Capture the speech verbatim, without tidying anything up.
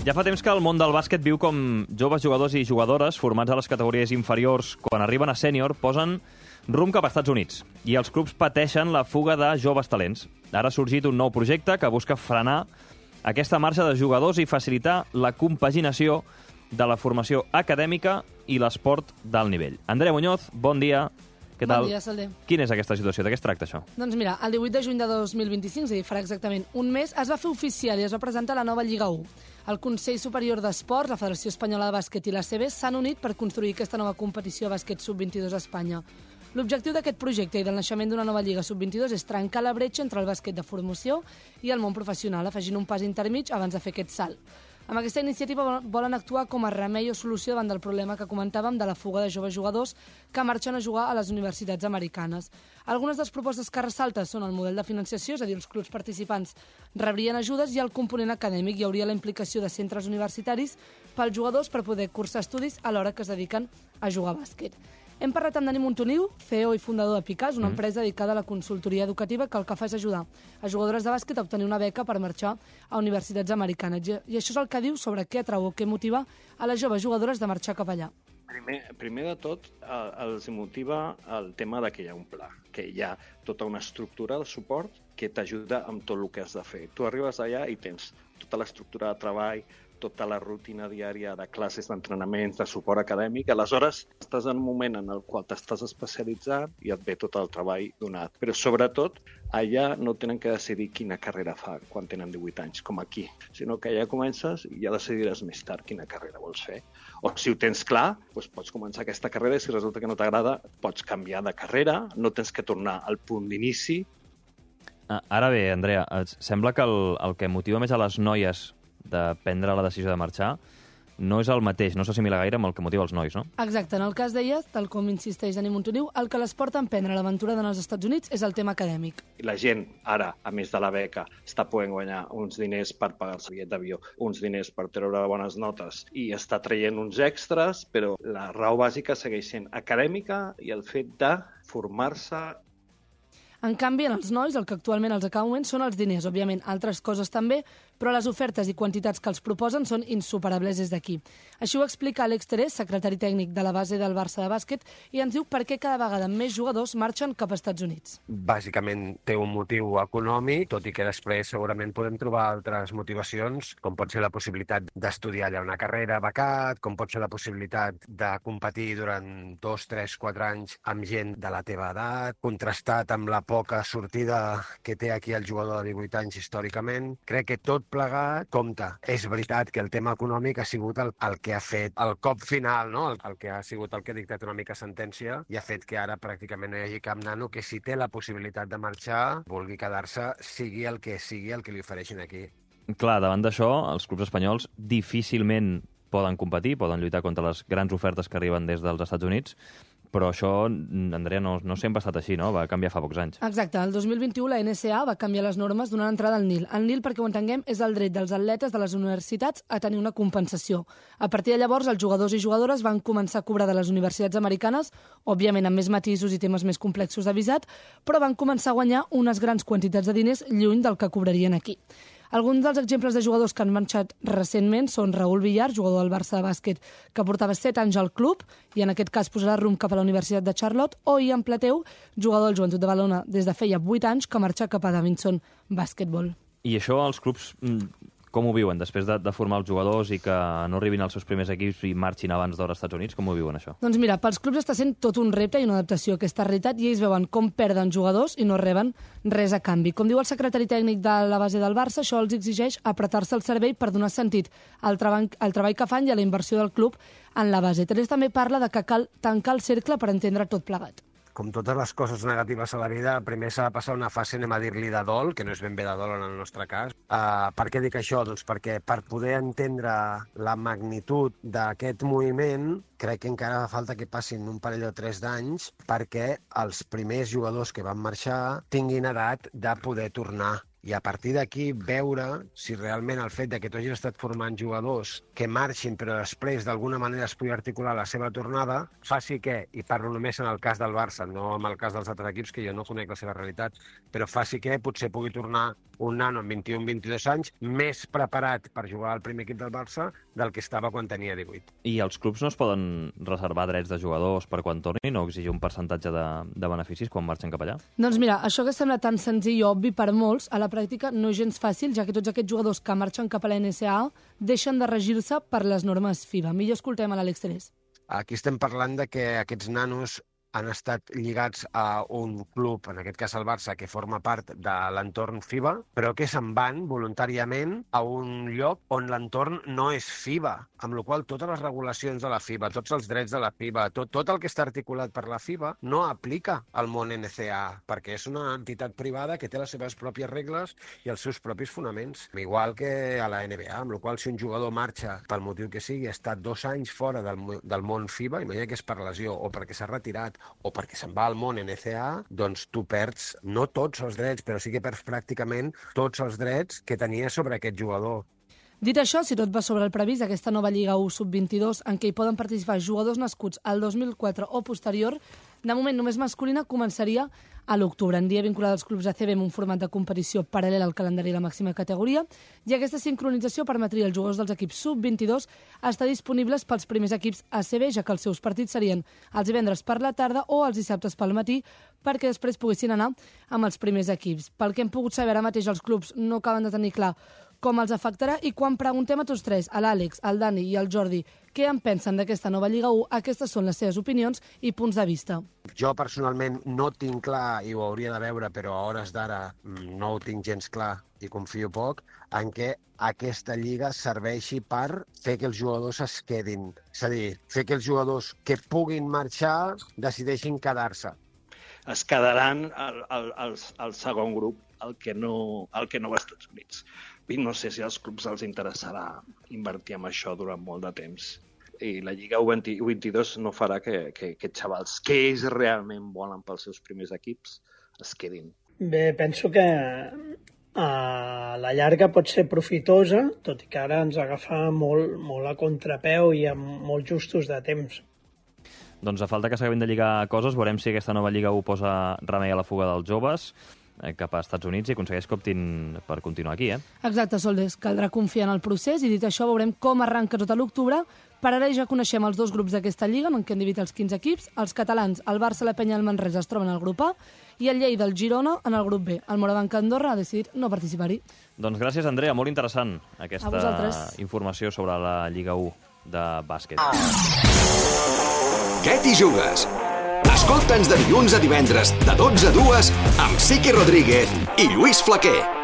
Ja fa temps que el món del bàsquet viu com joves jugadors i jugadores formats a les categories inferiors, quan arriben a sènior, posen rumb cap als Estats Units i els clubs pateixen la fuga de joves talents. Ara ha sorgit un nou projecte que busca frenar aquesta marxa de jugadors i facilitar la compaginació de la formació acadèmica i l'esport d'alt nivell. Andrea Muñoz, bon dia. Què tal? Bon dia, Salder. Quina és aquesta situació? De què es tracta, això? Doncs mira, el divuit de juny de dos mil vint-i-cinc, és a dir, farà exactament un mes, es va fer oficial i es va presentar la nova Lliga u. El Consell Superior d'Esports, la Federació Espanyola de Bàsquet i l'A C B s'han unit per construir aquesta nova competició de bàsquet sub vint-i-dos a Espanya. L'objectiu d'aquest projecte i del naixement d'una nova Lliga sub vint-i-dos és trencar la bretxa entre el bàsquet de formació i el món professional, afegint un pas intermig abans de fer aquest salt. Amb aquesta iniciativa volen actuar com a remei o solució davant del problema que comentàvem de la fuga de joves jugadors que marxen a jugar a les universitats americanes. Algunes de les propostes que ressalten són el model de financiació, és a dir, els clubs participants rebrien ajudes i el component acadèmic. Hi hauria la implicació de centres universitaris pels jugadors per poder cursar estudis a l'hora que es dediquen a jugar a bàsquet. Hem parlat amb Dani Montoliu, C E O i fundador de Picàs, una empresa dedicada a la consultoria educativa que el que fa és ajudar a jugadores de bàsquet a obtenir una beca per marxar a universitats americanes. I això és el que diu sobre què atrau o què motiva a les joves jugadores de marxar cap allà. Primer, primer de tot, eh, els motiva el tema de que hi ha un pla, que hi ha tota una estructura de suport que t'ajuda amb tot el que has de fer. Tu arribes allà i tens tota l'estructura de treball, tota la rutina diària de classes, d'entrenaments, de suport acadèmic. Aleshores, estàs en un moment en el qual t'estàs especialitzant i et ve tot el treball donat. Però, sobretot, allà no tenen que decidir quina carrera fa quan tenen divuit anys, com aquí, sinó que allà comences i ja decidiràs més tard quina carrera vols fer. O si ho tens clar, doncs pots començar aquesta carrera i si resulta que no t'agrada, pots canviar de carrera, no tens que tornar al punt d'inici. Ara bé, Andrea, sembla que el, el que motiva més a les noies de prendre la decisió de marxar no és el mateix, no s'assimila gaire amb el que motiva els nois, no? Exacte. En el cas d'elles, tal com insisteix Dani Montoliu, el que les porta a emprendre l'aventura d'anar als Estats Units és el tema acadèmic. La gent, ara, a més de la beca, està podent guanyar uns diners per pagar-se el bitllet d'avió, uns diners per treure bones notes i està traient uns extras, però la raó bàsica segueix sent acadèmica i el fet de formar-se. En canvi, en els nois, el que actualment els acaba moment són els diners, òbviament, altres coses també, però les ofertes i quantitats que els proposen són insuperables des d'aquí. Així ho explica Àlex Terés, secretari tècnic de la base del Barça de bàsquet, i ens diu per què cada vegada més jugadors marxen cap als Estats Units. Bàsicament té un motiu econòmic, tot i que després segurament podem trobar altres motivacions, com pot ser la possibilitat d'estudiar allà una carrera becat, com pot ser la possibilitat de competir durant dos, tres, quatre anys amb gent de la teva edat, contrastat amb la poca sortida que té aquí el jugador de divuit anys històricament. Crec que tot plegat compta. És veritat que el tema econòmic ha sigut el, el que ha fet el cop final, no? el, el que ha sigut el que ha dictat una mica sentència i ha fet que ara pràcticament no hi hagi cap nano que si té la possibilitat de marxar, vulgui quedar-se, sigui el que sigui el que li ofereixin aquí. Clar, davant d'això, els clubs espanyols difícilment poden competir, poden lluitar contra les grans ofertes que arriben des dels Estats Units, però això, Andrea, no, no sempre ha estat així, no? Va canviar fa pocs anys. Exacte. El dos mil vint-i-u la N C A A va canviar les normes donant entrada al N I L. El N I L, perquè ho entenguem, és el dret dels atletes de les universitats a tenir una compensació. A partir de llavors, els jugadors i jugadores van començar a cobrar de les universitats americanes, òbviament amb més matisos i temes més complexos de visat, però van començar a guanyar unes grans quantitats de diners lluny del que cobrarien aquí. Alguns dels exemples de jugadors que han marxat recentment són Raúl Villar, jugador del Barça de bàsquet, que portava set anys al club i en aquest cas posarà rumb cap a la Universitat de Charlotte, o Ian Plateu, jugador del Joventut de Badalona des de feia vuit anys, que marxa cap a Davidson Basketball. I això els clubs com ho viuen? Després de, de formar els jugadors i que no arribin als seus primers equips i marxin abans d'hora als Estats Units, com ho viuen això? Doncs mira, pels clubs està sent tot un repte i una adaptació a aquesta realitat i ells veuen com perden jugadors i no reben res a canvi. Com diu el secretari tècnic de la base del Barça, això els exigeix apretar-se el cervell per donar sentit al treball, al treball que fan i a la inversió del club en la base. Terés també parla de que cal tancar el cercle per entendre tot plegat. Com totes les coses negatives a la vida, primer s'ha de passar una fase, anem a dir-li, de dol, que no és ben bé de dol en el nostre cas. Uh, per què dic això? Doncs perquè per poder entendre la magnitud d'aquest moviment, crec que encara fa falta que passin un parell o tres d'anys perquè els primers jugadors que van marxar tinguin edat de poder tornar I a partir d'aquí veure si realment el fet de que tu hagis estat formant jugadors que marxin però després d'alguna manera es pugui articular la seva tornada, faci que, i parlo només en el cas del Barça, no en el cas dels altres equips, que jo no conec la seva realitat, però faci que potser pugui tornar un nano amb vint-i-un vint-i-dos anys més preparat per jugar al primer equip del Barça del que estava quan tenia divuit. I els clubs no es poden reservar drets de jugadors per quan tornin o exigir un percentatge de, de beneficis quan marxen cap allà? Doncs mira, això que sembla tan senzill i obvi per molts, a la pràctica no és gens fàcil, ja que tots aquests jugadors que marxen cap a la N C A A deixen de regir-se per les normes FIBA. Millor escoltem a l'Àlex Terés. Aquí estem parlant de que aquests nanos han estat lligats a un club, en aquest cas el Barça, que forma part de l'entorn FIBA, però que se'n van voluntàriament a un lloc on l'entorn no és FIBA, amb la qual totes les regulacions de la FIBA, tots els drets de la FIBA, tot, tot el que està articulat per la FIBA no aplica al món N C A A, perquè és una entitat privada que té les seves pròpies regles i els seus propis fonaments, igual que a la N B A, amb la qual si un jugador marxa pel motiu que sigui, ha estat dos anys fora del, del món FIBA, imagina que és per lesió o perquè s'ha retirat o perquè se'n va al món N C A A, doncs tu perds no tots els drets, però sí que perds pràcticament tots els drets que tenia sobre aquest jugador. Dit això, si tot va sobre el previst, aquesta nova Lliga u sub vint-i-dos, en què hi poden participar jugadors nascuts al dos mil quatre o posterior, de moment només masculina, començaria a l'octubre. En dia vinculada als clubs A C B amb un format de competició paral·lel al calendari de la màxima categoria, i aquesta sincronització permetria als jugadors dels equips sub vint-i-dos estar disponibles pels primers equips A C B, ja que els seus partits serien els divendres per la tarda o els dissabtes pel matí, perquè després poguessin anar amb els primers equips. Pel que hem pogut saber ara mateix, els clubs no acaben de tenir clar com els afectarà, i quan preguntem a tots tres, a l'Àlex, al Dani i al Jordi, què en pensen d'aquesta nova Lliga u, aquestes són les seves opinions i punts de vista. Jo personalment no tinc clar, i ho hauria de veure, però a hores d'ara no ho tinc gens clar i confio poc, en què aquesta lliga serveixi per fer que els jugadors es quedin. És a dir, fer que els jugadors que puguin marxar decideixin quedar-se. Es quedaran al, al, al, al segon grup, el que no, el que no va als Estats Units. I no sé si als clubs els interessarà invertir en això durant molt de temps. I la Lliga u vint-i-dos no farà que, que, que xavals que ells realment volen pels seus primers equips es quedin. Bé, penso que a la llarga pot ser profitosa, tot i que ara ens agafa molt, molt a contrapeu i amb molt justos de temps. Doncs a falta que s'acabin de lligar coses, veurem si aquesta nova Lliga u posa remei a la fuga dels joves cap als Estats Units i aconsegueix que optin per continuar aquí, eh? Exacte, Soldes. Caldrà confiar en el procés i, dit això, veurem com arranca tot a l'octubre. Per ara ja coneixem els dos grups d'aquesta lliga, en què han dividit els quinze equips. Els catalans, el Barça, la Penya i el Manresa es troben al grup A i el Lleida, el Girona, en el grup B. El Morabanc Andorra ha decidit no participar-hi. Doncs gràcies, Andrea. Molt interessant aquesta informació sobre la Lliga u de bàsquet. Què t'hi jugues? Escolta'ns de dilluns a divendres, de dotze a dues, amb Siqui Rodríguez i Lluís Flaquer.